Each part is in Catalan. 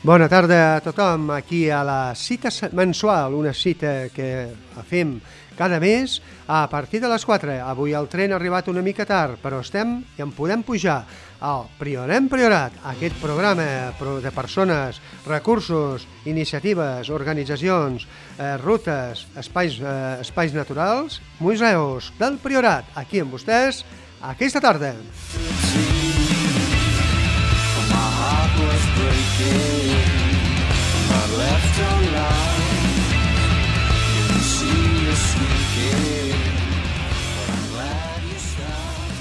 Bona tarda a tothom, aquí a la cita mensual, una cita que fem cada mes a partir de les 4. Avui el tren ha arribat una mica tard, però estem i en podem pujar al Priorem Priorat, aquest programa de persones, recursos, iniciatives, organitzacions, rutes, espais naturals, museus del Priorat, aquí amb vostès, aquesta tarda.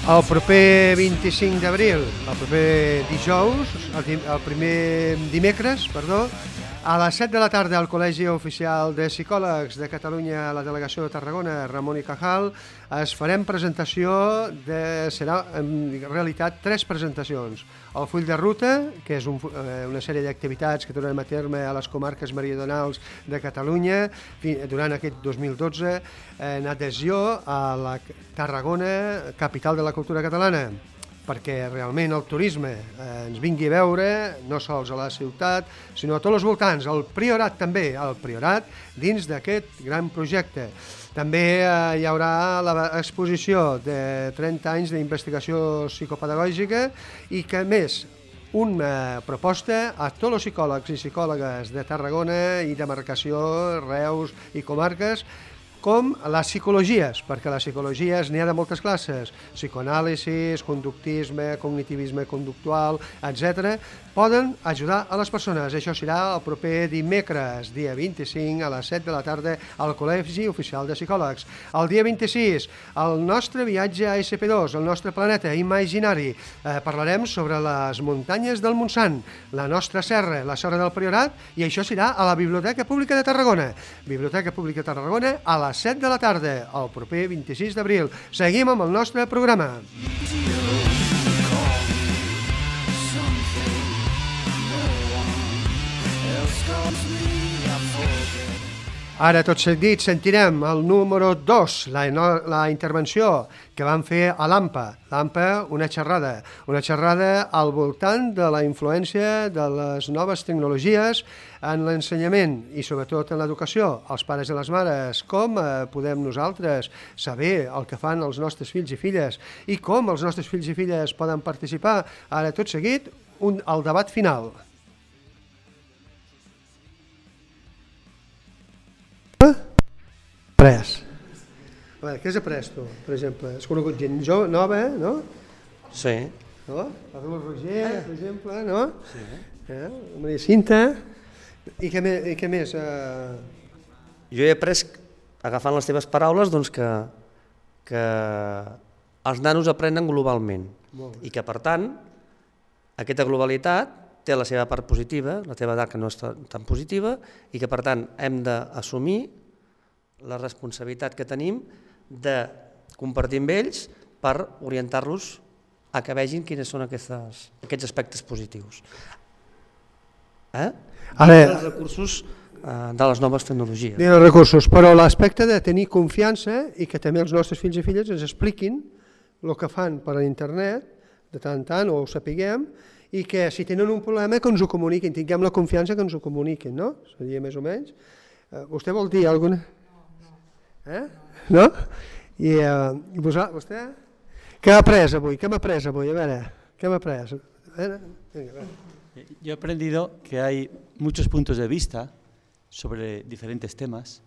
El proper 25 d'abril, el proper dijous, el primer dimecres, a les 7 de la tarda al Col·legi Oficial de Psicòlegs de Catalunya a la Delegació de Tarragona, Ramon i Cajal, farem presentació, serà en realitat 3 presentacions. El full de ruta, que és una sèrie d'activitats que durem a terme a les comarques meridionals de Catalunya durant aquest 2012, en adhesió a la Tarragona, capital de la cultura catalana, perquè realment el turisme ens vingui a veure, no sols a la ciutat, sinó a tots els voltants, al Priorat també, al Priorat, dins d'aquest gran projecte. També hi haurà l'exposició de 30 anys d'investigació psicopedagògica i que, a més, una proposta a tots els psicòlegs i psicòlogues de Tarragona i demarcació, Reus i comarques, com les psicologies, perquè les psicologies n'hi ha de moltes classes, psicoanàlisi, conductisme, cognitivisme conductual, etc., poden ajudar a les persones. Això serà el proper dimecres, dia 25, a les 7 de la tarda, al Col·legi Oficial de Psicòlegs. El dia 26, el nostre viatge a SP2, el nostre planeta imaginari. Parlarem sobre les muntanyes del Montsant, la nostra serra, la serra del Priorat, i això serà a la Biblioteca Pública de Tarragona. Biblioteca Pública de Tarragona, a les 7 de la tarda, el proper 26 d'abril. Seguim amb el nostre programa. Ara, tot seguit, sentirem el número 2, la intervenció que van fer a l'AMPA. L'AMPA, una xerrada al voltant de la influència de les noves tecnologies en l'ensenyament i sobretot en l'educació, els pares i les mares, com podem nosaltres saber el que fan els nostres fills i filles i com els nostres fills i filles poden participar. Ara, tot seguit, el debat final. Après. Què has après tu, per exemple? Has conegut gent nova, no? Sí. No? El Roger, per exemple, no? Sí. Maria Cinta. I què més? Jo he après, agafant les teves paraules, doncs que els nanos aprenen globalment i que, per tant, aquesta globalitat té la seva part positiva, la teva edat que no és tan positiva, i que, per tant, hem d'assumir la responsabilitat que tenim de compartir amb ells per orientar-los a que vegin quins són aquests aspectes positius. Els recursos de les noves tecnologies. Els recursos, però l'aspecte de tenir confiança i que també els nostres fills i filles ens expliquin el que fan per internet, de tant en tant, o ho sapiguem, i que si tenen un problema que ens ho comuniquin, tinguem la confiança que ens ho comuniquin, no? Seria més o menys. Vostè vol dir alguna cosa? No? I vostè? Què ha après avui? A veure, ¿qué ha après? Yo he aprendido que hay muchos puntos de vista sobre diferentes temas.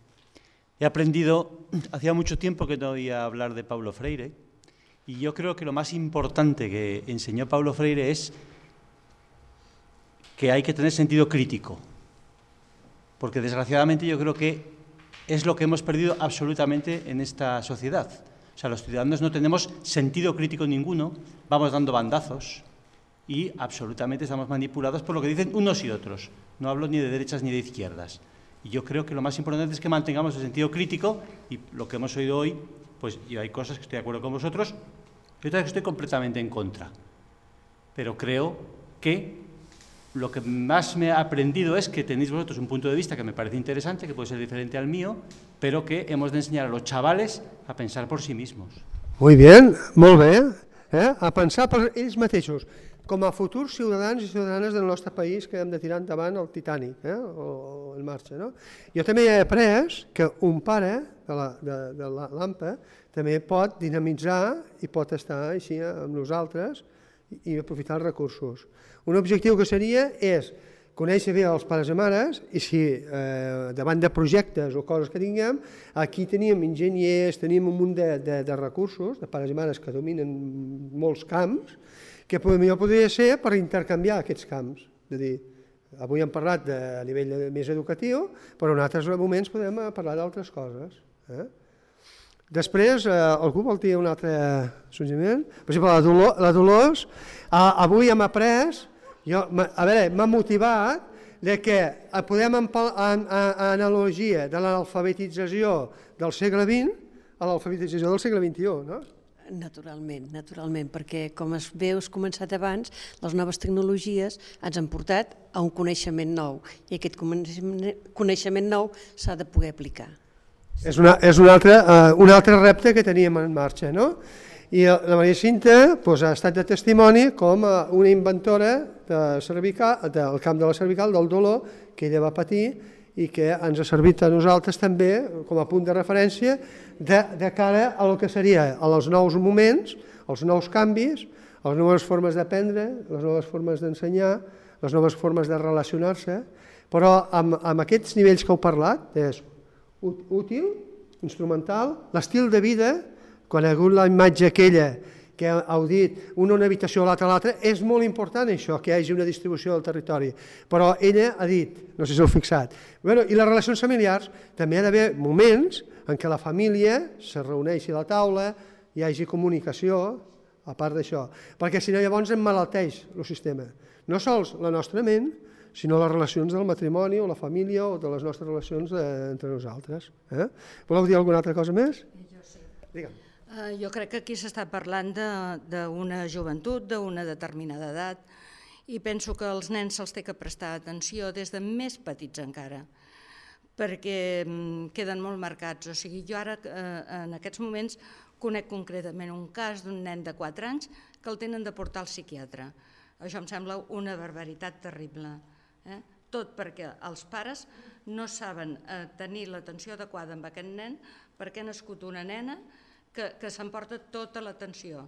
He aprendido, hacía mucho tiempo que no oía hablar de Paulo Freire, y yo creo que lo más importante que enseñó Paulo Freire es que hay que tener sentido crítico, porque desgraciadamente yo creo que es lo que hemos perdido absolutamente en esta sociedad. O sea, los ciudadanos no tenemos sentido crítico ninguno, vamos dando bandazos y absolutamente estamos manipulados por lo que dicen unos y otros. No hablo ni de derechas ni de izquierdas. Y yo creo que lo más importante es que mantengamos el sentido crítico y lo que hemos oído hoy, pues yo hay cosas que estoy de acuerdo con vosotros y otras que estoy completamente en contra. Pero creo que lo que más me ha aprendido es que tenéis vosotros un punto de vista que me parece interesante, que puede ser diferente al mío, pero que hemos de enseñar a los chavales a pensar por sí mismos. Muy bien, molt bé. A pensar per ells mateixos. com a futurs ciutadans i ciutadanes del nostre país que hem de tirar endavant el Titanic, o en marxa. No? Jo també he après que un pare de l'AMPA també pot dinamitzar i pot estar així amb nosaltres i aprofitar els recursos. Un objectiu que seria és conèixer bé els pares i mares i si davant de projectes o coses que tinguem, aquí tenim enginyers, tenim un munt de recursos, de pares i mares que dominen molts camps, que millor podria ser per intercanviar aquests camps. És a dir, avui hem parlat a nivell més educatiu, però en altres moments podem parlar d'altres coses. Després, algú vol dir un altre suggeriment? Per exemple, la Dolors, avui hem après, m'ha motivat que podem analogia de l'alfabetització del segle XX a l'alfabetització del segle XXI, no? Naturalment, perquè com has començat abans, les noves tecnologies ens han portat a un coneixement nou i aquest coneixement nou s'ha de poder aplicar. És un altre repte que teníem en marxa, no? I la Maria Cinta ha estat de testimoni com una inventora del camp de la cervical, del dolor, que ella va patir i que ens ha servit a nosaltres també com a punt de referència de cara a el que seria els nous moments, els nous canvis, les noves formes d'aprendre, les noves formes d'ensenyar, les noves formes de relacionar-se, però amb aquests nivells que heu parlat, és útil, instrumental, l'estil de vida, quan ha hagut la imatge aquella que heu dit, una habitació, l'altra, és molt important això, que hi hagi una distribució del territori. Però ella ha dit, no sé si heu fixat, i les relacions familiars, també ha d'haver moments en què la família se reuneixi a la taula, hi hagi comunicació, a part d'això, perquè si no llavors emmalalteix el sistema. No sols la nostra ment, sinó les relacions del matrimoni o la família o de les nostres relacions entre nosaltres. Voleu dir alguna altra cosa més? Jo sí. Digue'm. Jo crec que aquí s'està parlant d'una joventut, d'una determinada edat, i penso que als nens se'ls té que prestar atenció des de més petits encara, perquè queden molt marcats. O sigui, jo ara, en aquests moments, conec concretament un cas d'un nen de 4 anys que el tenen de portar al psiquiatre. Això em sembla una barbaritat terrible. Tot perquè els pares no saben tenir l'atenció adequada amb aquest nen perquè ha nascut una nena que s'emporta tota l'atenció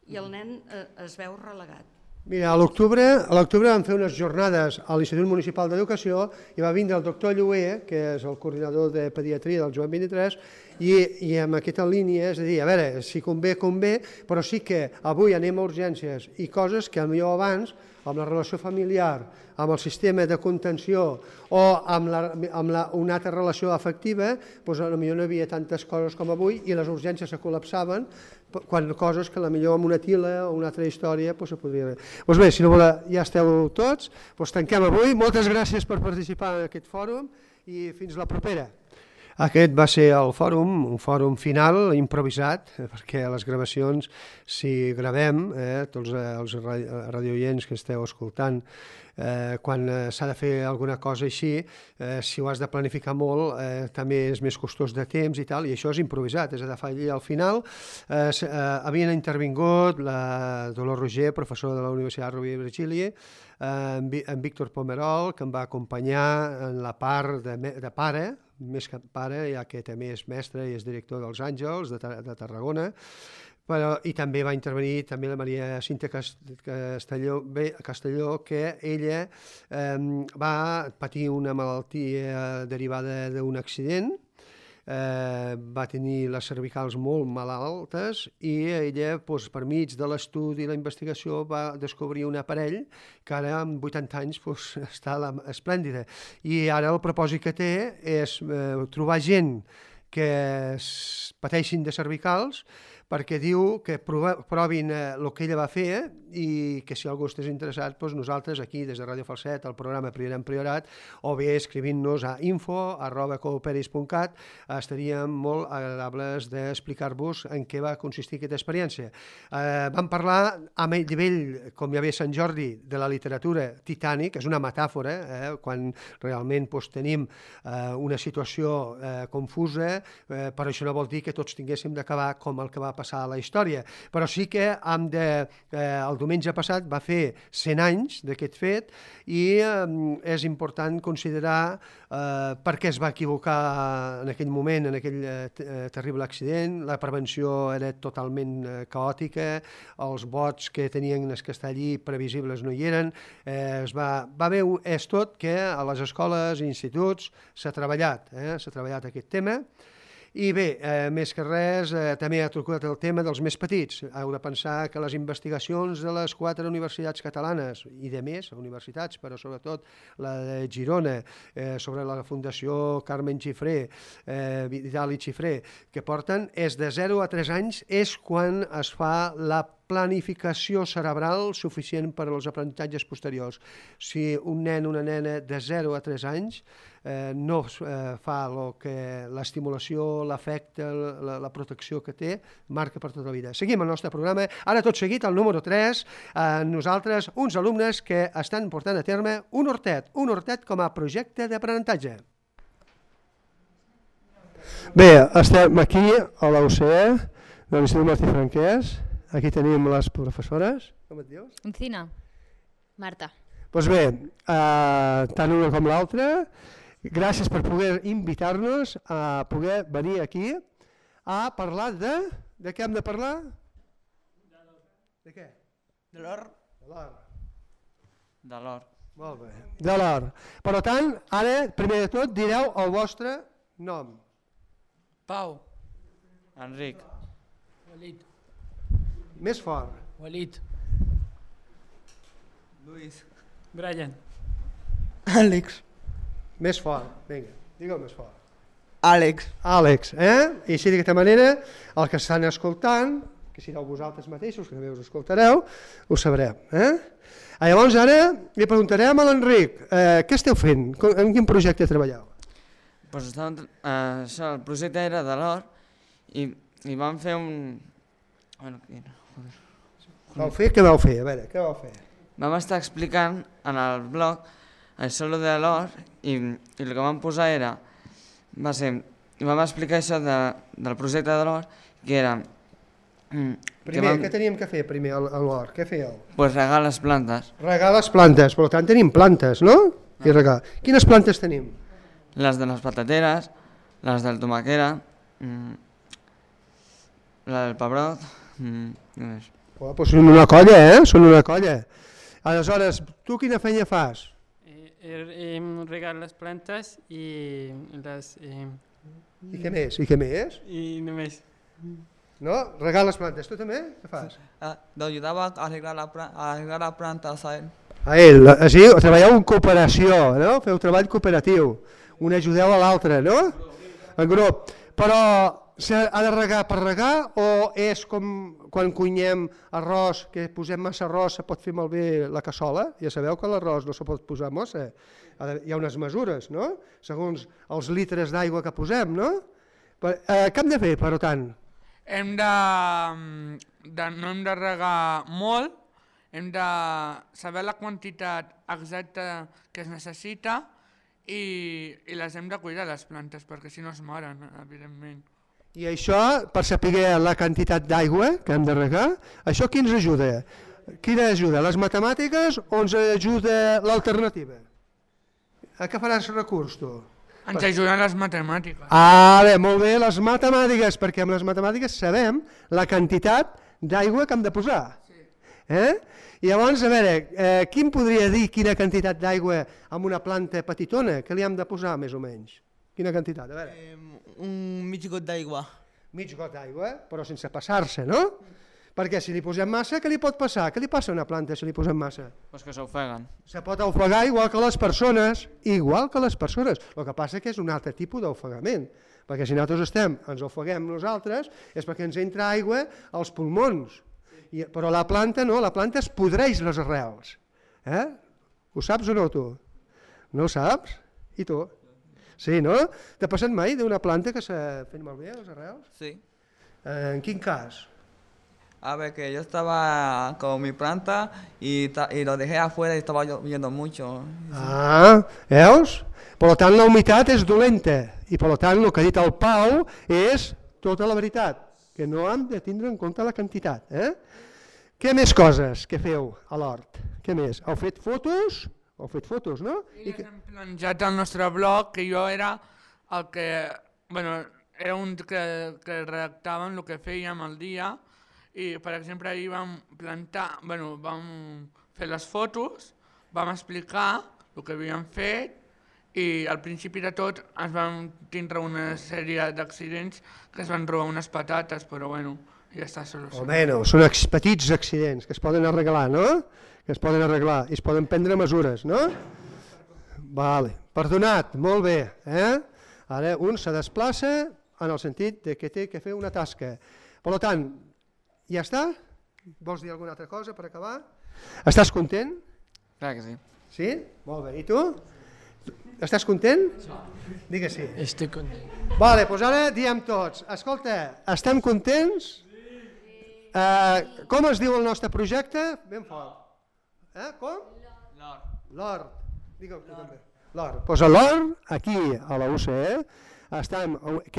i el nen es veu relegat. Mira, a l'octubre vam fer unes jornades a l'Institut Municipal d'Educació i va vindre el doctor Lluer, que és el coordinador de pediatria del Joan 23, i amb aquesta línia, és a dir, a veure, si convé, però sí que avui anem a urgències i coses que potser abans, amb la relació familiar, amb el sistema de contenció o amb una altra relació afectiva, potser no hi havia tantes coses com avui i les urgències se col·lapsaven quan coses que potser amb una tila o una altra història se podria... Doncs bé, si no ja esteu tots, tanquem avui. Moltes gràcies per participar en aquest fòrum i fins la propera. Aquest va ser el fòrum, un fòrum final, improvisat, perquè les gravacions, si gravem, tots els radioients que esteu escoltant, quan s'ha de fer alguna cosa així, si ho has de planificar molt, també és més costós de temps i tal, i això és improvisat, és a dir, al final havien intervingut la Dolors Roger, professor de la Universitat Rovira i Virgili, en Víctor Pomerol, que em va acompanyar en la part de pare, més que pare, ja que també és mestre i és director dels Àngels de Tarragona, i també va intervenir la Maria Cinta Castelló, que ella va patir una malaltia derivada d'un accident, va tenir les cervicals molt malaltes i ella, per mig de l'estudi i la investigació, va descobrir un aparell que ara, amb 80 anys, està esplèndida. I ara el propòsit que té és trobar gent que pateixin de cervicals, perquè diu que provin el que ella va fer i que si algú estàs interessat, nosaltres aquí des de Ràdio Falset, el programa Priorat en Priorat, o bé escrivint-nos a info@cooperis.cat, estaríem molt agradables d'explicar-vos en què va consistir aquesta experiència. Vam parlar a nivell, com ja ve Sant Jordi, de la literatura Titanic, és una metàfora, quan realment tenim una situació confusa, però això no vol dir que tots tinguéssim d'acabar com el que va passar passar a la història. Però sí que el diumenge passat va fer 100 anys d'aquest fet i és important considerar per què es va equivocar en aquell moment, en aquell terrible accident. La prevenció era totalment caòtica, els vots que tenien que estar allí previsibles no hi eren. És tot que a les escoles i instituts s'ha treballat aquest tema. I bé, més que res, també ha trucat el tema dels més petits. Heu de pensar que les investigacions de les 4 universitats catalanes, i de més universitats, però sobretot la de Girona, sobre la Fundació Carmen Xifré, Vidal i Xifré, que porten, és de 0 a 3 anys, és quan es fa la planificació cerebral suficient per als aprenentatges posteriors. Si un nen o una nena de 0 a 3 anys no fa l'estimulació, l'afecte, la protecció que té, marca per tota la vida. Seguim el nostre programa. Ara tot seguit, el número 3, nosaltres, uns alumnes que estan portant a terme un hortet com a projecte d'aprenentatge. Bé, estem aquí a la UCE, de l'Institut Martí Franquès. Aquí tenim les professores. Com et dius? Encina. Marta. Doncs bé, tant una com l'altra, gràcies per poder invitar-nos a poder venir aquí a parlar de... De què hem de parlar? De què? De l'or. De l'or. Molt bé, de l'or. Per tant, ara, primer de tot, direu el vostre nom. Pau. Enric. Walid. Més fort. Walid. Luis. Brian. Àlex. Més fort, vinga, digue-ho més fort. Àlex. Àlex, I així d'aquesta manera, el que estan escoltant, que sigueu vosaltres mateixos, que també us escoltareu, ho sabreu. Llavors ara li preguntarem a l'Enric, què esteu fent? En quin projecte treballeu? Pues el projecte era de l'or i vam fer un... Què vau fer? A veure, què vau fer? Vam estar explicant en el blog això de l'or i el que vam posar vam explicar això del projecte de l'or, que era... Primer, què teníem que fer primer a l'or? Què fèieu? Pues regar les plantes. Regar les plantes, per tant tenim plantes, no? I regar. Quines plantes tenim? Les de les patateres, les del tomaquera, la del pebrot, Doncs són una colla, Són una colla. Aleshores, tu quina feina fas? Regar les plantes i les... I què més? I què més? I només. No? Regar les plantes. Tu també? Què fas? L'ajudava a arreglar la planta a ell. A ell. Així, treballeu en cooperació, no? Feu treball cooperatiu. Un ajudeu a l'altre, no? En grup. Però s'ha de regar per regar o és com quan cuinem arròs, que posem massa arròs, se pot fer malbé la cassola? Ja sabeu que l'arròs no se pot posar massa. Hi ha unes mesures, no? Segons els litres d'aigua que posem, no? Què hem de fer, per tant? No hem de regar molt, hem de saber la quantitat exacta que es necessita i les hem de cuidar, les plantes, perquè si no es moren, evidentment. I això, per saber la quantitat d'aigua que hem de regar, això qui ens ajuda? Quina ajuda? Les matemàtiques o ens ajuda l'alternativa? A què faràs recurs, tu? Ens ajuden les matemàtiques. Bé, molt bé, les matemàtiques, perquè amb les matemàtiques sabem la quantitat d'aigua que hem de posar. I llavors, a veure, qui em podria dir quina quantitat d'aigua amb una planta petitona que li hem de posar, més o menys? Quina quantitat? A veure. Un mig got d'aigua. Mig got d'aigua, però sense passar-se, no? Perquè si li posem massa, què li pot passar? Què li passa a una planta si li posem massa? Pues que s'ofeguen. Se pot ofegar igual que les persones, igual que les persones. El que passa que és un altre tipus d'ofegament, perquè si nosaltres ens ofeguem nosaltres és perquè ens entra aigua als pulmons. Però la planta no, la planta es podreix les arrels. Ho saps o no, tu? No ho saps? I tu? Sí, no? T'ha passat mai d'una planta que s'ha fet malbé les arrels? Sí. En quin cas? A ver, que yo estaba con mi planta y lo dejé afuera y estaba lloviendo mucho. Veus? Per tant, la humitat és dolenta i per tant el que ha dit el Pau és tota la veritat, que que no hem de tindre en compte la quantitat. Què més coses que feu a l'hort? Què més? Heu fet fotos? Heu fet fotos, no? I les hem penjat al nostre blog, que jo era el que... Bueno, era un que redactàvem el que fèiem el dia, i per exemple ahir vam plantar, bueno, vam fer les fotos, vam explicar el que havíem fet, i al principi de tot ens vam tindre una sèrie d'accidents que es van robar unes patates, però bueno, ja està solucionat. Bueno, són petits accidents que es poden arreglar, no? Que es poden arreglar i es poden prendre mesures, no? Vale, perdonat, molt bé. Ara un se desplaça en el sentit que té que fer una tasca. Per tant, ja està? Vols dir alguna altra cosa per acabar? Estàs content? Clar que sí. Sí? Molt bé. I tu? Estàs content? Digues sí. Estic content. Vale, doncs ara diem tots. Escolta, estem contents? Com es diu el nostre projecte? Ben fort. Com? L'Hort. Digue'm tu també. L'Hort. Doncs a l'Hort, aquí a la UCE,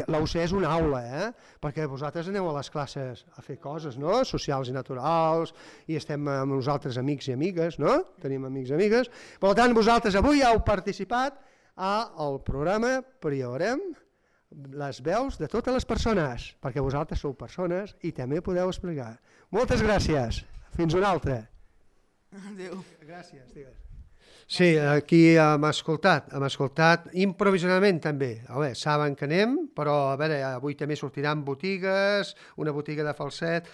la UCE és una aula, perquè vosaltres aneu a les classes a fer coses, no? Socials i naturals, i estem amb nosaltres amics i amigues, no? Tenim amics i amigues. Per tant, vosaltres avui heu participat al programa Priorem les veus de totes les persones, perquè vosaltres sou persones i també podeu explicar. Moltes gràcies. Fins una altra. Adéu. Gràcies, digues. Sí, aquí hem escoltat improvisadament també. Saben que anem, però a veure, avui també sortiran botigues, una botiga de falset,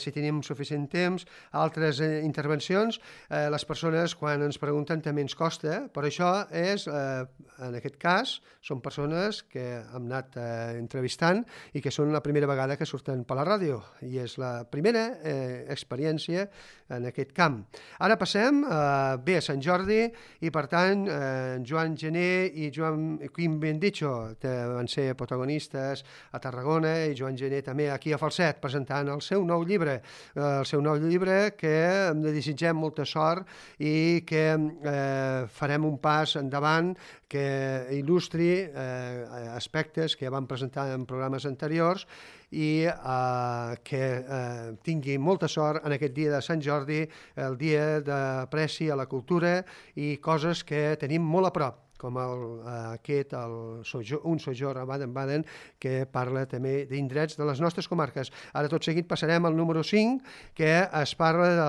si tenim suficient temps, altres intervencions. Les persones, quan ens pregunten, també ens costa, però això és, en aquest cas, són persones que hem anat entrevistant i que són la primera vegada que surten per la ràdio, i és la primera experiència en aquest camp. Ara passem bé a Sant Jordi, i per tant Joan Gené i Joan Quim Bendicho van ser protagonistes a Tarragona, i Joan Gené també aquí a Falset presentant el seu nou llibre que li desitgem molta sort i que farem un pas endavant que il·lustri aspectes que van presentar en programes anteriors i que tingui molta sort en aquest dia de Sant Jordi, el dia d'apreci a la cultura i coses que tenim molt a prop, com un sojorn a Baden-Baden, que parla també d'indrets de les nostres comarques. Ara tot seguit passarem al número 5, que es parla de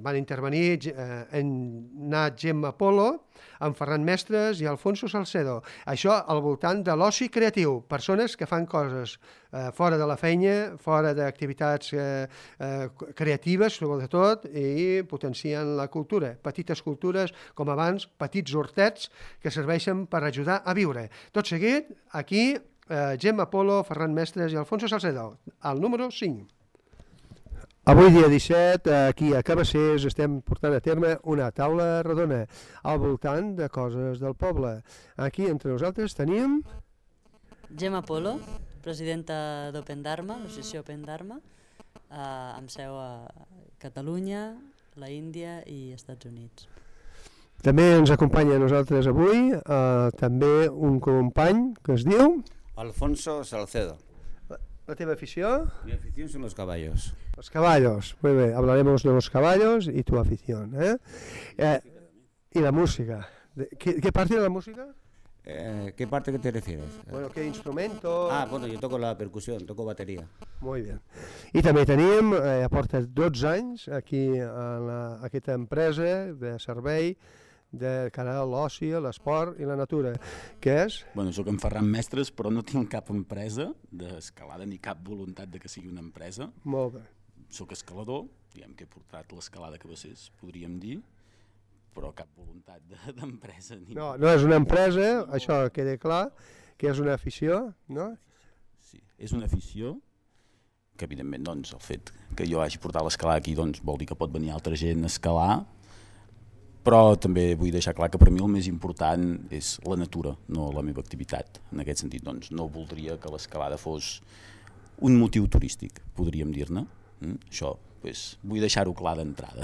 van intervenir Nat Gemma Polo, en Ferran Mestres i Alfonso Salcedo. Això al voltant de l'oci creatiu, persones que fan coses fora de la feina, fora d'activitats creatives, sobretot, i potencien la cultura. Petites cultures, com abans, petits hortets que serveixen per ajudar a viure. Tot seguit, aquí, Gemma Polo, Ferran Mestres i Alfonso Salcedo, al número 5. Avui, dia 17, aquí a Cabassers, estem portant a terme una taula rodona al voltant de coses del poble. Aquí, entre nosaltres, tenim... Gemma Polo, presidenta d'Open Dharma, l'associació Open Dharma, amb seu a Catalunya, la Índia i Estats Units. També ens acompanya a nosaltres avui també un company que es diu... Alfonso Salcedo. ¿La teva afición? Mi afición son los caballos. Los caballos, muy bien, hablaremos de los caballos y tu afición. Y la música. ¿Qué parte de la música? ¿Qué parte que te refieres? Bueno, ¿qué instrumento? Bueno, yo toco la percusión, toco batería. Muy bien. I també tenim, porta 12 anys aquí a aquesta empresa de servei de cara a l'oci, l'esport i la natura. Què és? Bueno, soc en Ferran Mestres, però no tinc cap empresa d'escalada ni cap voluntat de que sigui una empresa. Molt bé. Soc escalador, diguem que he portat l'escalada a Cabassers, podríem dir, però cap voluntat d'empresa. No és una empresa, això queda clar, que és una afició, no? Sí, és una afició que evidentment doncs, el fet que jo hagi portat l'escalada aquí doncs, vol dir que pot venir altra gent a escalar, però també vull deixar clar que per mi el més important és la natura, no la meva activitat. En aquest sentit, doncs, no voldria que l'escalada fos un motiu turístic, podríem dir-ne. Això, vull deixar-ho clar d'entrada.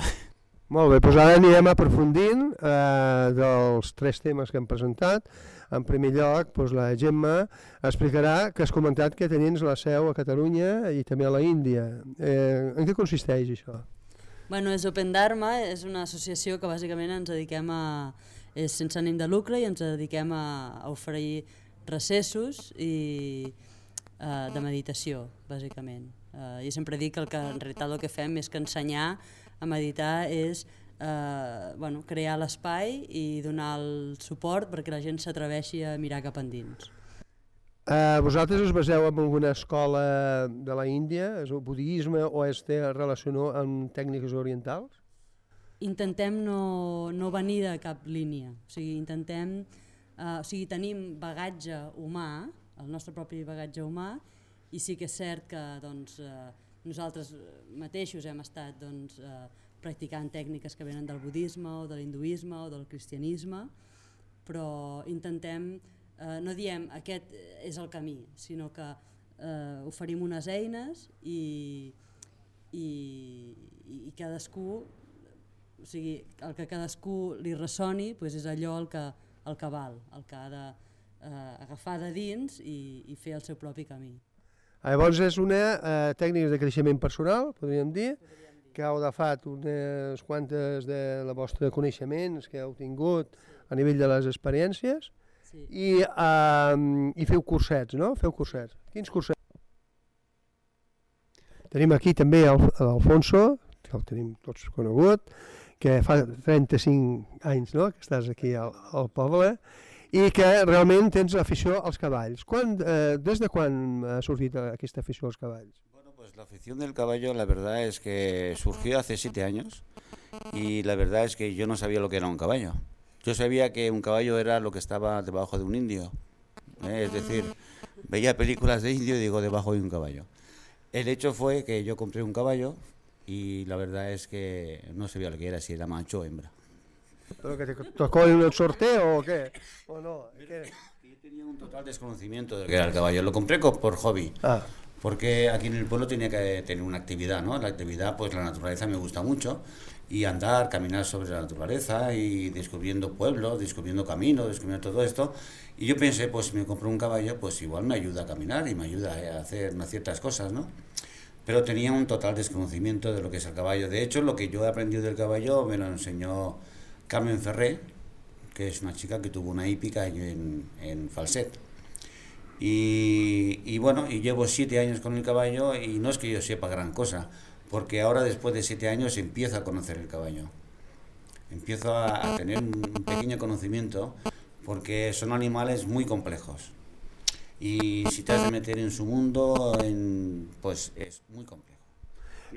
Molt bé, doncs ara anirem aprofundint dels 3 temes que hem presentat. En primer lloc, doncs la Gemma explicarà que has comentat que tenies la seu a Catalunya i també a la Índia. En què consisteix això? Bueno, és Open Dharma, és una associació que bàsicament ens dediquem a... és sense ànim de lucre i ens dediquem a oferir recessos i de meditació, bàsicament. Jo sempre dic que en realitat el que fem és que ensenyar a meditar és crear l'espai i donar el suport perquè la gent s'atreveixi a mirar cap endins. Vosaltres us baseu en alguna escola de la Índia? És el budisme o té relació amb tècniques orientals? Intentem no venir de cap línia. Tenim bagatge humà, el nostre propi bagatge humà, i sí que és cert que nosaltres mateixos hem estat practicant tècniques que venen del budisme o de l'hinduisme o del cristianisme, però intentem, no diem aquest és el camí, sinó que oferim unes eines i cadascú, o sigui, el que cadascú li ressoni és allò el que val, el que ha d'agafar de dins i fer el seu propi camí. Llavors és una tècnica de creixement personal, podríem dir, que heu agafat unes quantes de la vostra coneixements que heu tingut a nivell de les experiències i feu cursets, no? Feu cursets. Quins cursets? Tenim aquí també l'Alfonso, que el tenim tots conegut, que fa 35 anys que estàs aquí al poble i que realment tens afició als cavalls. Des de quan ha sortit aquesta afició als cavalls? La afición del caballo, la verdad es que surgió hace 7 años y la verdad es que yo no sabía lo que era un caballo. Yo sabía que un caballo era lo que estaba debajo de un indio, es decir, veía películas de indio y digo debajo de un caballo. El hecho fue que yo compré un caballo y la verdad es que no sabía lo que era, si era macho o hembra. ¿Pero que te tocó en el sorteo o qué? ¿O no? Yo tenía un total desconocimiento de lo que era el caballo, lo compré por hobby. Porque aquí en el pueblo tenía que tener una actividad, ¿no? La actividad, pues la naturaleza me gusta mucho, y andar, caminar sobre la naturaleza y descubriendo pueblos, descubriendo caminos, descubriendo todo esto. Y yo pensé, pues si me compro un caballo, pues igual me ayuda a caminar y me ayuda a hacer ciertas cosas, ¿no? Pero tenía un total desconocimiento de lo que es el caballo. De hecho, lo que yo he aprendido del caballo me lo enseñó Carmen Ferré, que es una chica que tuvo una hípica en Falset. Y bueno, y llevo 7 años con el caballo y no es que yo sepa gran cosa, porque ahora después de 7 años empiezo a conocer el caballo. Empiezo a tener un pequeño conocimiento porque son animales muy complejos. Y si te has de meter en su mundo, pues és muy complejo.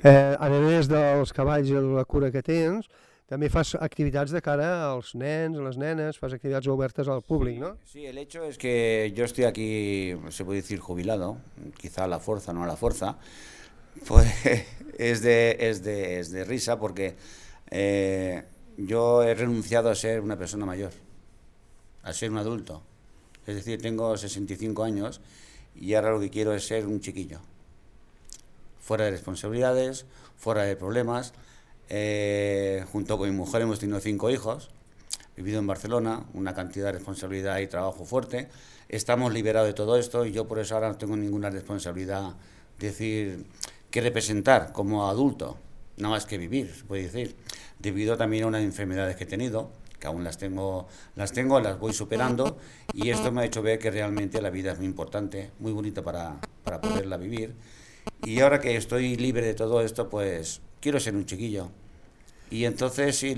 A més dels cavalls i la cura que tens, també fas actividades de cara als nens, a les nenes, fas actividades obertes al públic, ¿no? Sí, el hecho es que yo estoy aquí, se puede decir jubilado, quizá a la fuerza, no a la fuerza, pues es de risa porque yo he renunciado a ser una persona mayor, a ser un adulto. Es decir, tengo 65 años y ahora lo que quiero es ser un chiquillo, fuera de responsabilidades, fuera de problemas. Junto con mi mujer hemos tenido 5 hijos, vivido en Barcelona, una cantidad de responsabilidad y trabajo fuerte. Estamos liberados de todo esto y yo por eso ahora no tengo ninguna responsabilidad, decir, que representar como adulto, nada más que vivir, se puede decir, debido también a unas enfermedades que he tenido, que aún las tengo, las voy superando, y esto me ha hecho ver que realmente la vida es muy importante, muy bonita para poderla vivir. Y ahora que estoy libre de todo esto, pues quiero ser un chiquillo. Y entonces sí,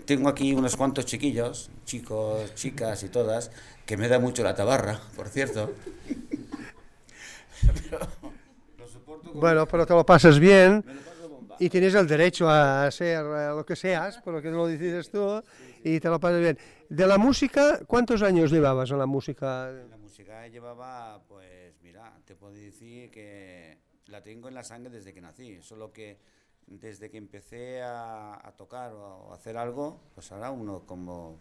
tengo aquí unos cuantos chiquillos, chicos, chicas y todas, que me da mucho la tabarra, por cierto. Bueno, pero te lo pasas bien y tienes el derecho a ser lo que seas, por lo que lo decides tú, y te lo pasas bien. De la música, ¿cuántos años llevabas en la música? La música llevaba, pues mira, te puedo decir que la tengo en la sangre desde que nací, solo que desde que empecé a tocar o a hacer algo, pues ahora uno como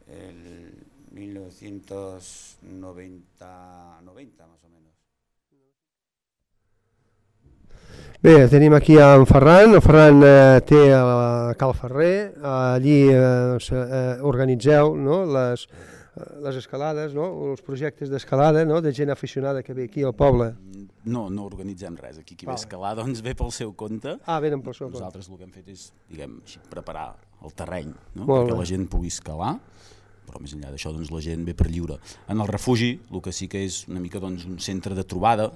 el 1990 más o menos. Bé, tenim aquí en Ferran. El Ferran té a Cal Ferrer, allí organitzeu, no, les escalades, no, els projectes d'escalada, no, de gent aficionada que ve aquí al poble. No organitzem res. Aquí qui ve a escalar doncs ve pel seu compte. Venen pel seu compte. Nosaltres el que hem fet és, diguem, preparar el terreny, no? Molt perquè bé. la gent pugui escalar, però més enllà d'això doncs, la gent ve per lliure. En el refugi, el que sí que és una mica doncs, un centre de trobada,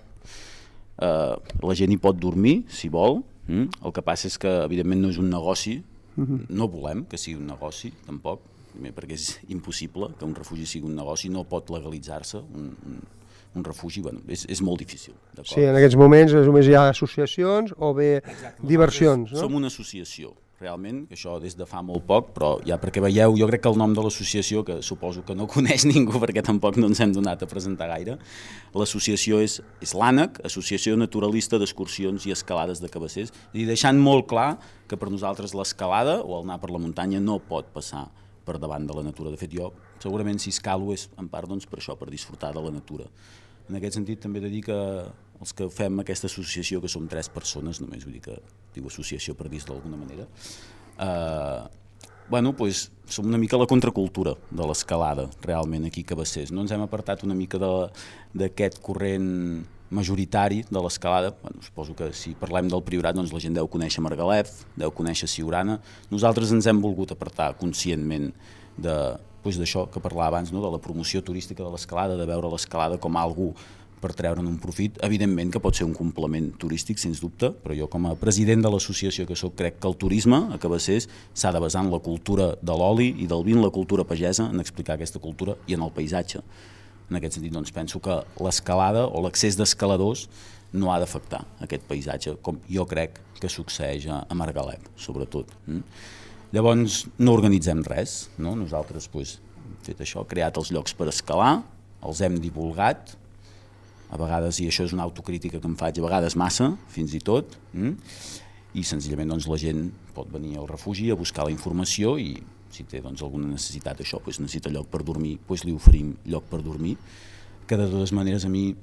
la gent hi pot dormir, si vol. El que passa és que, evidentment, no és un negoci, no volem que sigui un negoci, tampoc, primer perquè és impossible que un refugi sigui un negoci, no pot legalitzar-se un refugi, bueno, és molt difícil. Sí, en aquests moments només hi ha associacions o bé diversions, no? Som una associació, realment, que això des de fa molt poc, però ja perquè veieu, jo crec que el nom de l'associació, que suposo que no coneix ningú perquè tampoc no ens hem donat a presentar gaire, l'associació és l'ANAC, Associació Naturalista d'Excursions i Escalades de Cabassers, i deixant molt clar que per nosaltres l'escalada o el anar per la muntanya no pot passar per davant de la natura. De fet, jo segurament si escalo és en part doncs, per això, per disfrutar de la natura. En aquest sentit també he de dir que els que fem aquesta associació, que som 3 persones només, vull dir que diu associació per dir-ho d'alguna manera, bueno, doncs som una mica la contracultura de l'escalada realment aquí a Cabassers. No ens hem apartat una mica d'aquest corrent majoritari de l'escalada. Bueno, suposo que si parlem del Priorat doncs la gent deu conèixer Margalef, deu conèixer Siurana. Nosaltres ens hem volgut apartar conscientment d'això que parlava abans, no? De la promoció turística de l'escalada, de veure l'escalada com algú per treure'n un profit. Evidentment que pot ser un complement turístic, sens dubte, però jo com a president de l'associació que soc crec que el turisme a Cabassers s'ha de basar en la cultura de l'oli i del vi, en la cultura pagesa, en explicar aquesta cultura i en el paisatge. En aquest sentit doncs, penso que l'escalada o l'accés d'escaladors no ha d'afectar aquest paisatge, com jo crec que succeeix a Margalef, sobretot. Llavors no organitzem res, no? Nosaltres hem fet això, creat els llocs per escalar, els hem divulgat, a vegades, i això és una autocrítica que em faig, a vegades massa, fins i tot, i senzillament doncs, la gent pot venir al refugi a buscar la informació i si té doncs, alguna necessitat això, necessita lloc per dormir, li oferim lloc per dormir, que de totes maneres a mi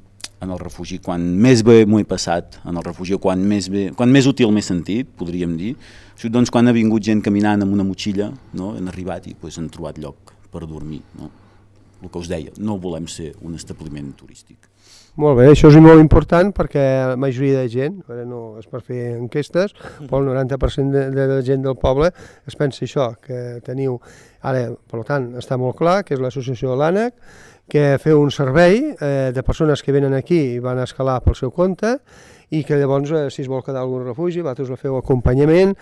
en el refugi, quan més bé m'ho he passat, en el refugi, quan més útil m'he sentit, podríem dir, doncs quan ha vingut gent caminant amb una motxilla, no? Han arribat i han trobat lloc per dormir. No? El que us deia, no volem ser un establiment turístic. Molt bé, això és molt important perquè la majoria de gent, ara no és per fer enquestes, però el 90% de la gent del poble es pensa això, que teniu, ara, per tant, està molt clar que és l'associació de l'ANAC, que feu un servei de persones que venen aquí i van a escalar pel seu compte i que llavors, si es vol quedar a algun refugi, vosaltres feu acompanyament.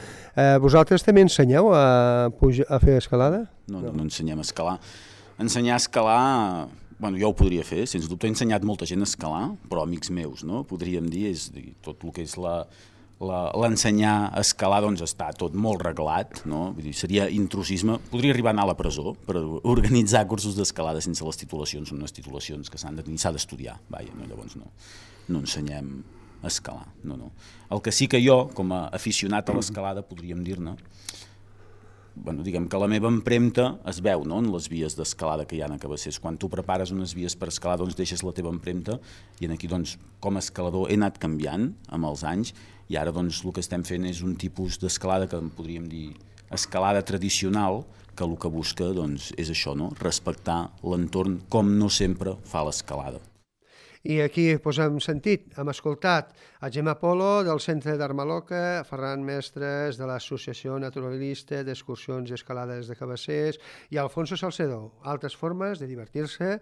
Vosaltres també ensenyeu a fer escalada? No ensenyem a escalar. Ensenyar a escalar, bueno, jo ho podria fer, sens dubte he ensenyat molta gent a escalar, però amics meus, no? Podríem dir, és tot el que és l'ensenyar a escalar doncs està tot molt reglat, no? Vull dir, seria intrusisme, podria arribar a anar a la presó per organitzar cursos d'escalada sense les titulacions, són unes titulacions que s'ha d'estudiar, llavors no ensenyem a escalar, no. El que sí que jo, com a aficionat a l'escalada, podríem dir-ne, diguem que la meva empremta es veu en les vies d'escalada que hi ha a Cabassers. Quan tu prepares unes vies per escalar, doncs deixes la teva empremta i aquí, com a escalador, he anat canviant amb els anys i ara el que estem fent és un tipus d'escalada que en podríem dir escalada tradicional, que el que busca és això, respectar l'entorn com no sempre fa l'escalada. I aquí hem sentit, hem escoltat a Gemma Polo del Centre d'Armaloca, Ferran Mestres de l'Associació Naturalista d'Excursions i Escalades de Cabassers i Alfonso Salcedo. Altres formes de divertir-se.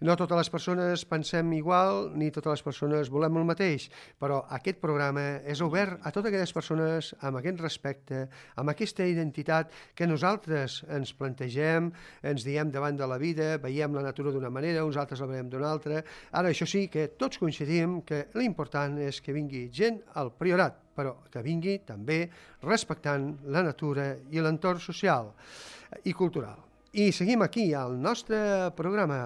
No totes les persones pensem igual ni totes les persones volem el mateix, però aquest programa és obert a totes aquelles persones amb aquest respecte, amb aquesta identitat que nosaltres ens plantegem, ens diem davant de la vida, veiem la natura d'una manera, uns altres la veiem d'una altra. Ara, això sí, que tots coincidim que l'important és que vingui gent al Priorat, però que vingui també respectant la natura i l'entorn social i cultural. I seguim aquí al nostre programa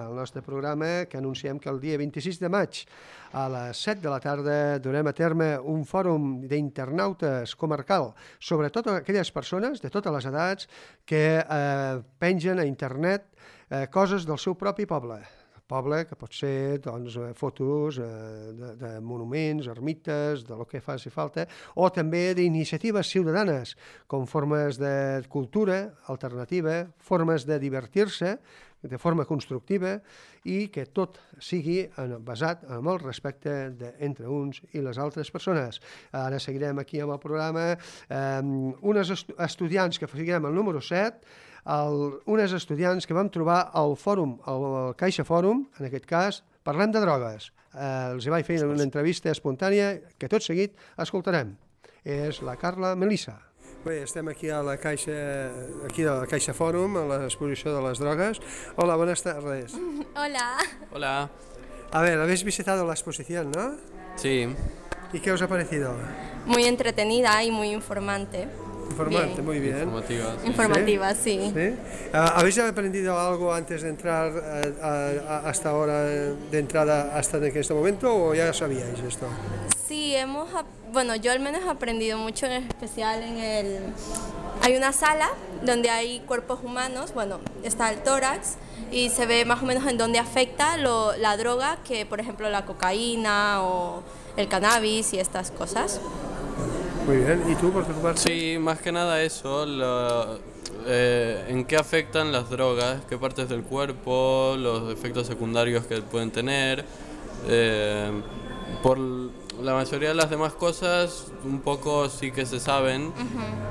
que anunciem que el dia 26 de maig a les 7 de la tarda durem a terme un fòrum d'internautes comarcal sobre totes aquelles persones de totes les edats que pengen a internet coses del seu propi poble, poble, que pot ser fotos de monuments, ermites, de lo que faci falta, o també d'iniciatives ciutadanes, com formes de cultura alternativa, formes de divertir-se de forma constructiva i que tot sigui basat en el respecte entre uns i les altres persones. Ara seguirem aquí amb el programa. Unes estudiants que seguirem el número 7, unes estudiants que vam trobar al fòrum, al Caixa Fòrum, en aquest cas, parlem de drogues. Els vaig fer una entrevista espontània que tot seguit escoltarem. És la Carla Melissa. Bé, estem aquí a la Caixa Fòrum, a l'exposició de les drogas. Hola, buenas tardes. Hola. Hola. A ver, habéis visitado la exposición, ¿no? Sí. ¿Y qué os ha parecido? Muy entretenida y muy informante. Informante, muy bien. Informativa. Sí. Informativa, sí. ¿Sí? ¿Habéis aprendido algo antes de entrar hasta ahora, de entrada hasta en este momento, o ya sabíais esto? Sí, yo al menos he aprendido mucho, en especial hay una sala donde hay cuerpos humanos, está el tórax y se ve más o menos en dónde afecta la droga, que por ejemplo la cocaína o el cannabis y estas cosas. Muy bien, ¿y tú por tu parte? Sí, más que nada eso, en qué afectan las drogas, qué partes del cuerpo, los efectos secundarios que pueden tener. Por la mayoría de las demás cosas un poco sí que se saben,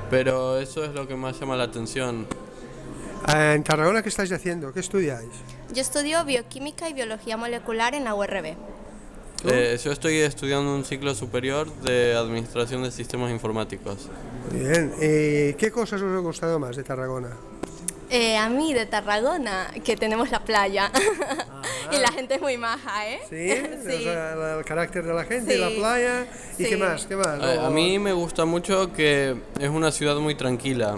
pero eso es lo que más llama la atención. En Tarragona, ¿qué estáis haciendo? ¿Qué estudiáis? Yo estudio bioquímica y biología molecular en la URB. Yo estoy estudiando un ciclo superior de administración de sistemas informáticos. Bien, ¿qué cosas os ha gustado más de Tarragona? A mí de Tarragona, que tenemos la playa y la gente es muy maja, ¿eh? Sí, sí. O sea, el carácter de la gente, sí. La playa, ¿y sí. ¿Qué más? A mí me gusta mucho que es una ciudad muy tranquila,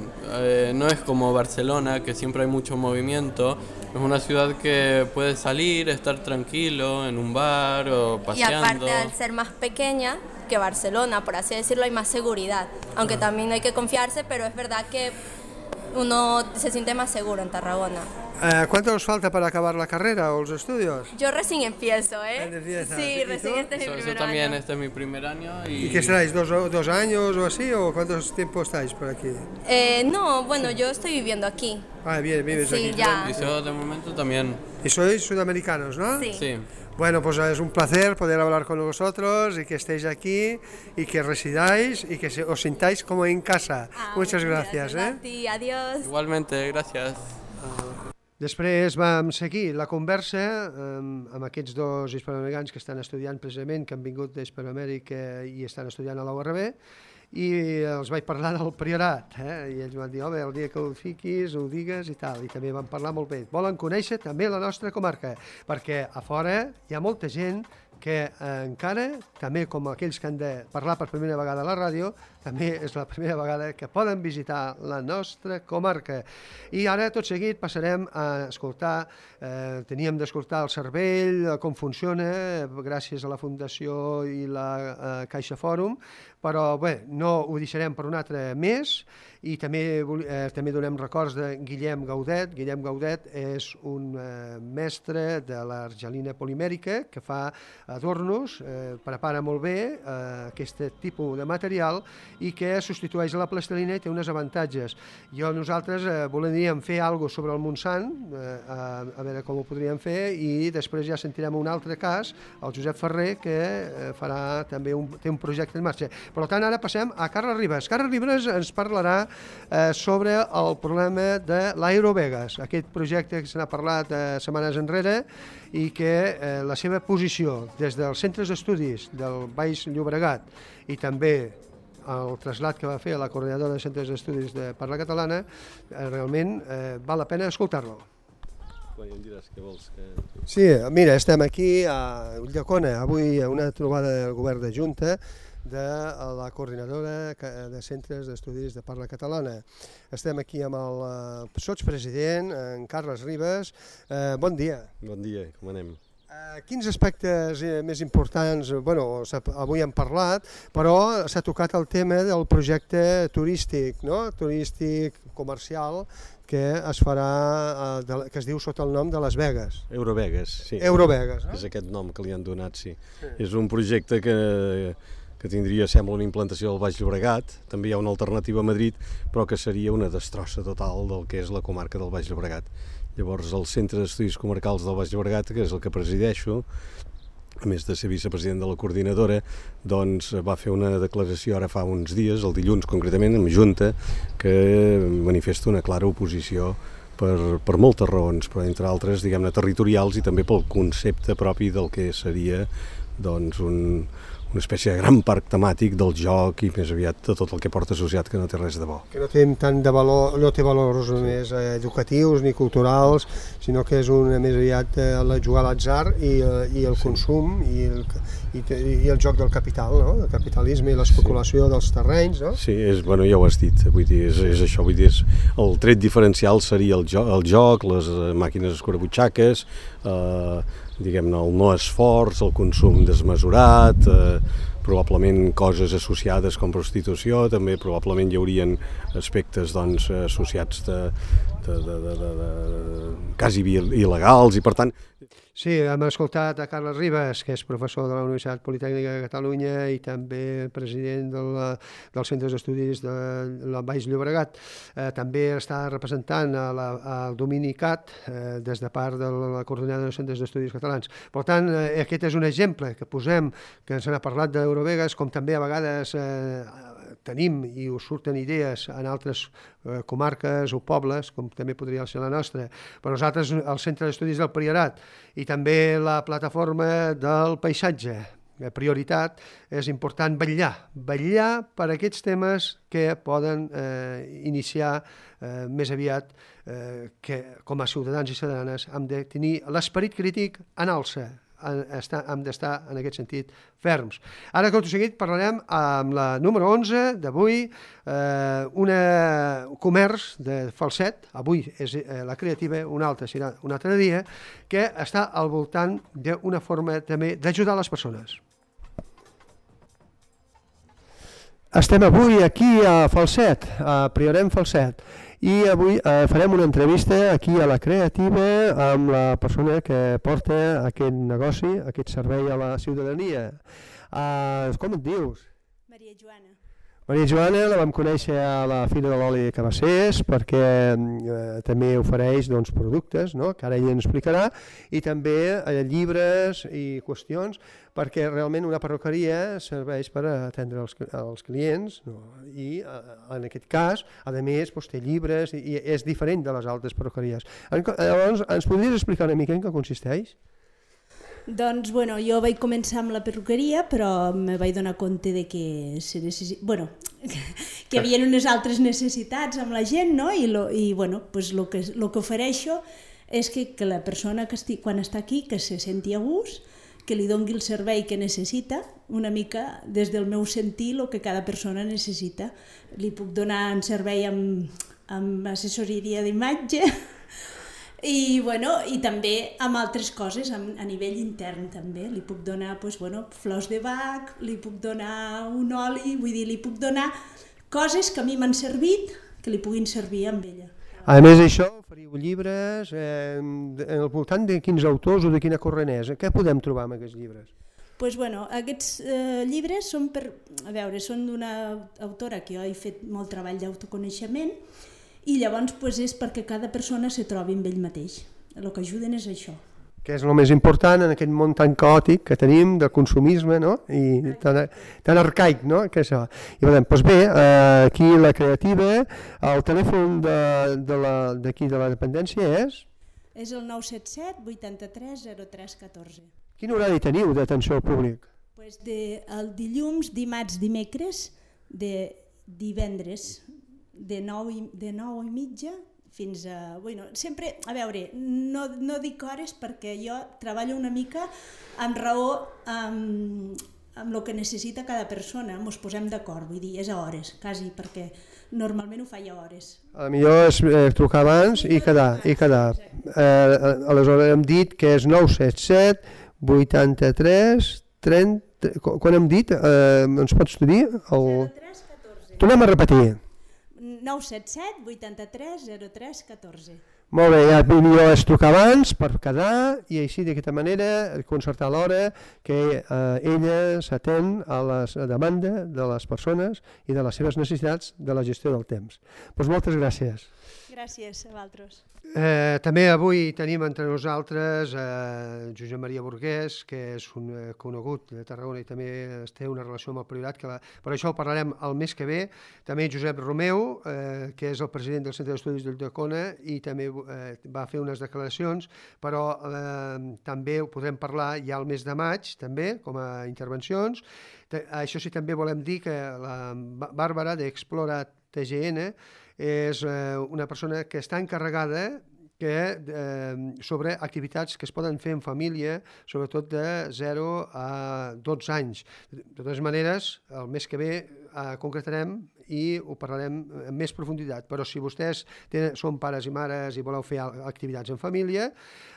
no es como Barcelona, que siempre hay mucho movimiento. Es una ciudad que puedes salir, estar tranquilo en un bar o paseando. Y aparte, al ser más pequeña que Barcelona, por así decirlo, hay más seguridad. Aunque también hay que confiarse, pero es verdad que uno se siente más seguro en Tarragona. ¿Cuánto os falta para acabar la carrera o los estudios? Yo recién empiezo, ¿eh? Sí, recién este es mi primer año. Yo también, este es mi primer año. ¿Y qué seráis, dos años o así? ¿O cuántos tiempo estáis por aquí? No, yo estoy viviendo aquí. Ah, bien, vives aquí. Sí, ya. Y yo de momento también. ¿Y sois sudamericanos, no? Sí. Bueno, pues es un placer poder hablar con vosotros y que estéis aquí y que residáis y que os sintáis como en casa. Muchas gracias. A ti, adiós. Igualmente, gracias. Després vam seguir la conversa amb aquests dos hispanoamericans que estan estudiant precisament, que han vingut d'Hispanoamèrica i estan estudiant a la URB, i els vaig parlar del priorat, i ells van dir, home, el dia que ho fiquis, ho digues i tal, i també van parlar molt bé. Volen conèixer també la nostra comarca, perquè a fora hi ha molta gent que encara, també com aquells que han de parlar per primera vegada a la ràdio, també és la primera vegada que poden visitar la nostra comarca. I ara, tot seguit, passarem a escoltar, teníem d'escoltar el Cervell, com funciona, gràcies a la Fundació i la Caixa Fòrum, però bé, no ho deixarem per un altre mes, i també donem records de Guillem Gaudet. Guillem Gaudet és un mestre de l'argelina polimèrica que fa adornos, prepara molt bé aquest tipus de material i que substitueix a la plastilina i té uns avantatges. Nosaltres voldríem fer alguna cosa sobre el Montsant, a veure com ho podríem fer, i després ja sentirem un altre cas, el Josep Ferrer, que farà també té un projecte en marxa. Per tant, ara passem a Carles Ribas. Carles Ribas ens parlarà sobre el problema de l'Aerovegas, aquest projecte que se n'ha parlat setmanes enrere i que la seva posició des dels centres d'estudis del Baix Llobregat i també el trasllat que va fer a la coordinadora de centres d'estudis de parla catalana, realment val la pena escoltar-lo. Sí, mira, estem aquí a Ulldecona, avui a una trobada del govern de Junta de la coordinadora de centres d'estudis de parla catalana. Estem aquí amb el sotspresident, en Carles Ribas. Bon dia. Bon dia, com anem? Quins aspectes més importants, bueno, avui hem parlat, però s'ha tocat el tema del projecte turístic, no? Turístic comercial que es farà, que es diu sota el nom de Las Vegas. Eurovegas, sí. Eurovegas, no? És aquest nom que li han donat, sí. És un projecte que tindria, sembla, una implantació del Baix Llobregat, també hi ha una alternativa a Madrid, però que seria una destrossa total del que és la comarca del Baix Llobregat. Llavors el Centre d'Estudis Comarcals del Baix Llobregat, que és el que presideixo, a més de ser vicepresident de la coordinadora, doncs va fer una declaració ara fa uns dies, el dilluns concretament, en Junta, que manifesta una clara oposició per moltes raons, però entre altres, diguem-ne, territorials i també pel concepte propi del que seria doncs, una espècie de gran parc temàtic del joc i més aviat de tot el que porta associat, que no té res de bo. Que no té tant de valor, no té valors més educatius ni culturals, sinó que és més aviat jugar a l'atzar i el consum i el joc del capital, no? El capitalisme i l'especulació dels terrenys, no? Sí, bueno, ja ho has dit, vull dir, és això, vull dir, el tret diferencial seria el joc, les màquines escurabutxaques, diguem-ne, el no esforç, el consum desmesurat, probablement coses associades com prostitució, també probablement hi haurien aspectes doncs, associats quasi il·legals i per tant... Sí, hem escoltat a Carles Ribas, que és professor de la Universitat Politècnica de Catalunya i també president dels centres d'estudis del Baix Llobregat. També està representant el domini CAT des de part de la coordinadora de centres d'estudis catalans. Per tant, aquest és un exemple que posem, que se n'ha parlat d'Eurovegas, com també a vegades tenim i us surten idees en altres comarques o pobles, com també podria ser la nostra. Per nosaltres, el Centre d'Estudis del Priorat i també la plataforma del paisatge, prioritat, és important vetllar per aquests temes que poden iniciar més aviat que com a ciutadans i ciutadanes hem de tenir l'esperit crític en alça. Hem d'estar en aquest sentit ferms. Ara, tot seguit, parlarem amb la número 11 d'avui, un comerç de Falset, avui és la creativa, un altre serà un altre dia, que està al voltant d'una forma també d'ajudar les persones. Estem avui aquí a Falset, a Priorem Falset, i avui farem una entrevista aquí a la Creativa amb la persona que porta aquest negoci, aquest servei a la ciutadania. Com et dius? Maria Joana. Maria Joana la vam conèixer a la Fira de l'Oli de Cabassers perquè també ofereix productes, que ara ella ens explicarà, i també llibres i qüestions, perquè realment una perruqueria serveix per atendre els clients i en aquest cas, a més, té llibres i és diferent de les altres perruqueries. Llavors, ens podries explicar una mica en què consisteix? Doncs, jo vaig començar amb la perruqueria, però me vaig donar compte de que hi havia unes altres necessitats amb la gent, no? I el que ofereixo és que la persona quan està aquí que se senti a gust, que li doni el servei que necessita, una mica des del meu sentir el que cada persona necessita. Li puc donar un servei amb assessoria d'imatge, i també amb altres coses a nivell intern també. Li puc donar flors de bac, li puc donar un oli, vull dir, li puc donar coses que a mi m'han servit que li puguin servir amb ella. A més d'això, oferiu llibres al voltant de quins autors o de quina corrent és? Què podem trobar en aquests llibres? Aquests llibres són d'una autora que jo he fet molt treball d'autoconeixement, i llavors és perquè cada persona se trobi amb ell mateix. El que ajuden és això. Que és el més important en aquest món tan caòtic que tenim de consumisme, i tan arcaic, que això. I doncs bé, aquí la Creativa, el telèfon d'aquí de la dependència és? És el 977 83 03 14. Quin horari teniu d'atenció al públic? El dilluns, dimarts, dimecres, divendres, de 9:30 fins a... sempre, no dic hores perquè jo treballo una mica amb raó amb el que necessita cada persona, ens posem d'acord, vull dir, és a hores, quasi, perquè normalment ho faig a hores. A millor és trucar abans i quedar. Aleshores hem dit que és 977 83 30... Quan hem dit? Ens pots dir? 03 14. Tornem a repetir. 977 83 03 14. Molt bé, ja millor és trucar abans per quedar i així d'aquesta manera concertar l'hora que ella s'atén a la demanda de les persones i de les seves necessitats de la gestió del temps. Doncs moltes gràcies. Gràcies a vosaltres. També avui tenim entre nosaltres Josep Maria Burguès, que és un conegut de Tarragona i també té una relació amb el Priorat, per això ho parlarem el mes que ve. També Josep Romeu, que és el president del Centre d'Estudis d'Ulldecona i també va fer unes declaracions, però també ho podrem parlar ja el mes de maig, també, com a intervencions. Això sí, també volem dir que la Bàrbara d'Explora TGN és una persona que està encarregada sobre activitats que es poden fer en família, sobretot de 0 a 12 anys. De totes maneres, el mes que ve concretarem i ho parlarem amb més profunditat, però si vostès són pares i mares i voleu fer activitats en família,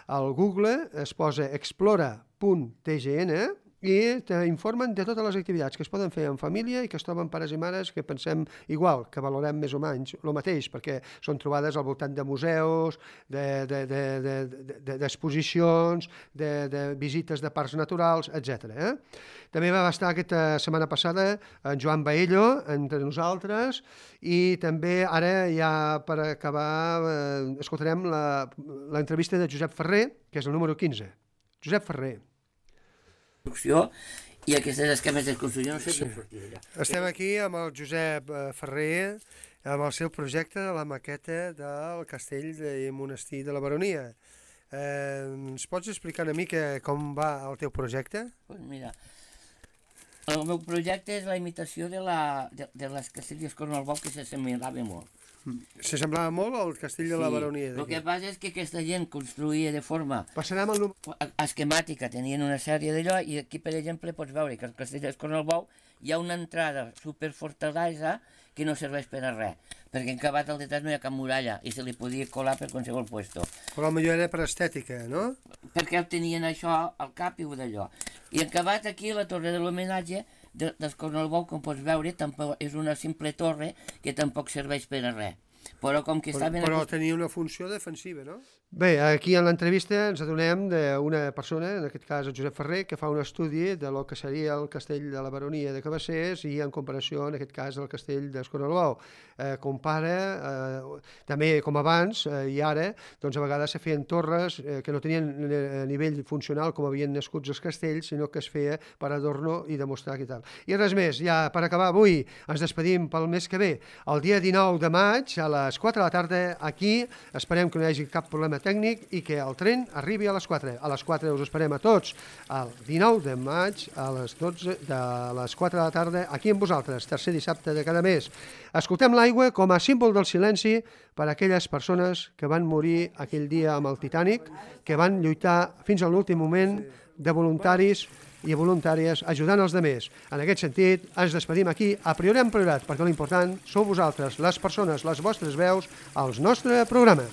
al Google es posa explora.tgn i t'informen de totes les activitats que es poden fer en família i que es troben pares i mares que pensem igual, que valorem més o menys el mateix, perquè són trobades al voltant de museus, d'exposicions, de visites de parcs naturals, etc. També va estar aquesta setmana passada en Joan Baello entre nosaltres i també ara ja per acabar escoltarem l'entrevista de Josep Ferrer, que és el número 15. Josep Ferrer. I aquestes esquemes de construcció no sé què sortir allà. Estem aquí amb el Josep Ferrer amb el seu projecte de la maqueta del castell i monestir de la Baronia. Ens pots explicar una mica com va el teu projecte? Pues mira, el meu projecte és la imitació de les castelles Cornalbou, que s'assemblava molt. S'assemblava molt al castell de la Baronia. El que passa és que aquesta gent construïa de forma esquemàtica, tenien una sèrie d'allò, i aquí, per exemple, pots veure que al castell de Cornalbou hi ha una entrada superfortalesa que no serveix per a res, perquè en acabat al detall no hi ha cap muralla i se li podia colar per qualsevol puesto. Però potser era per estètica, no? Perquè tenien això al cap i d'allò. I en acabat aquí la torre de l'homenatge del Cornalbou, com pots veure, és una simple torre que tampoc serveix per a res. Però com que Però tenia una funció defensiva, no? Bé, aquí en l'entrevista ens adonem d'una persona, en aquest cas el Josep Ferrer, que fa un estudi de lo que seria el castell de la Baronia de Cabassers i en comparació, en aquest cas, el castell d'Escornalbou. Compara, també com abans i ara, doncs a vegades se feien torres que no tenien nivell funcional com havien nascut els castells, sinó que es feia per adorno i demostrar què tal. I res més, ja per acabar avui ens despedim pel mes que ve. El dia 19 de maig a les 4 de la tarda aquí, esperem que no hi hagi cap problema tècnic i que el tren arribi a les 4. A les 4 us esperem a tots el 19 de maig a les 12 de les 4 de la tarda aquí amb vosaltres, tercer dissabte de cada mes. Escoltem l'aigua com a símbol del silenci per a aquelles persones que van morir aquell dia amb el Titanic, que van lluitar fins a l'últim moment de voluntaris i voluntàries ajudant els demés. En aquest sentit, ens despedim aquí a Priorem Priorat, perquè l'important sou vosaltres, les persones, les vostres veus, al nostre programa.